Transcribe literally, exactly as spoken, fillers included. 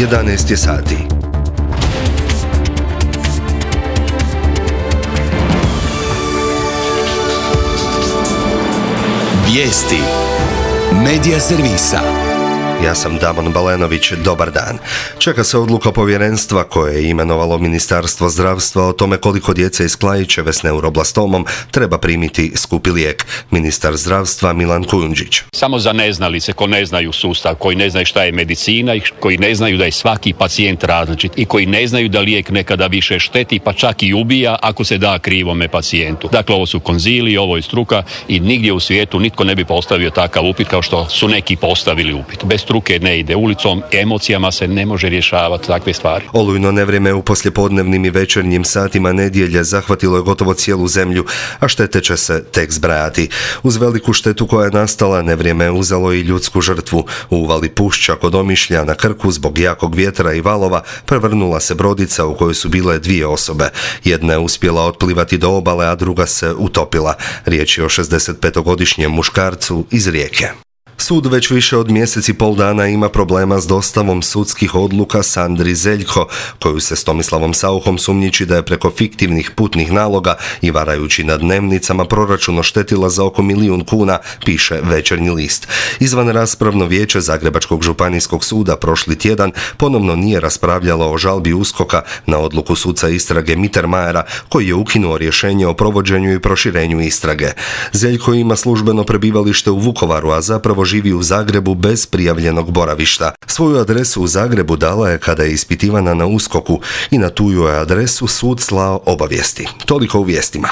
jedanaest je sati. Vijesti Medija servisa. Ja sam Damon Balenović, dobar dan. Čeka se odluka povjerenstva koje je imenovalo Ministarstvo zdravstva o tome koliko djece iz Klaićeve s neuroblastomom treba primiti skupi lijek. Ministar zdravstva Milan Kujundžić. Samo za neznalice koji ne znaju sustav, koji ne znaju šta je medicina i koji ne znaju da je svaki pacijent različit i koji ne znaju da lijek nekada više šteti pa čak i ubija ako se da krivome pacijentu. Dakle, ovo su konziliji, ovo je struka i nigdje u svijetu nitko ne bi postavio takav upit kao što su neki postavili upit. Bez struke ne ide ulicom, emocijama se ne može rješavati takve stvari. Olujno nevrijeme u poslijepodnevnim i večernjim satima nedjelje zahvatilo je gotovo cijelu zemlju, a štete će se tek zbrajati. Uz veliku štetu koja je nastala, nevrijeme je uzelo i ljudsku žrtvu. U uvali Pušća kod Omišlja na Krku zbog jakog vjetra i valova prevrnula se brodica u kojoj su bile dvije osobe. Jedna je uspjela otplivati do obale, a druga se utopila. Riječ je o šezdesetpetogodišnjem muškarcu iz Rijeke. Sud već više od mjesec i pol dana ima problema s dostavom sudskih odluka Sandri Zeljko, koju se s Tomislavom Sauchom sumnjiči da je preko fiktivnih putnih naloga i varajući na dnevnicama proračun oštetila za oko milijun kuna, piše Večernji list. Izvan raspravno vijeće Zagrebačkog županijskog suda prošli tjedan ponovno nije raspravljalo o žalbi USKOK-a na odluku suca istrage Mittermajera, koji je ukinuo rješenje o provođenju i proširenju istrage. Zeljko ima službeno prebivalište u Vukovaru, a zapravo živi u Zagrebu bez prijavljenog boravišta. Svoju adresu u Zagrebu dala je kada je ispitivana na USKOK-u i na tu je adresu sud slao obavijesti. Toliko u vijestima.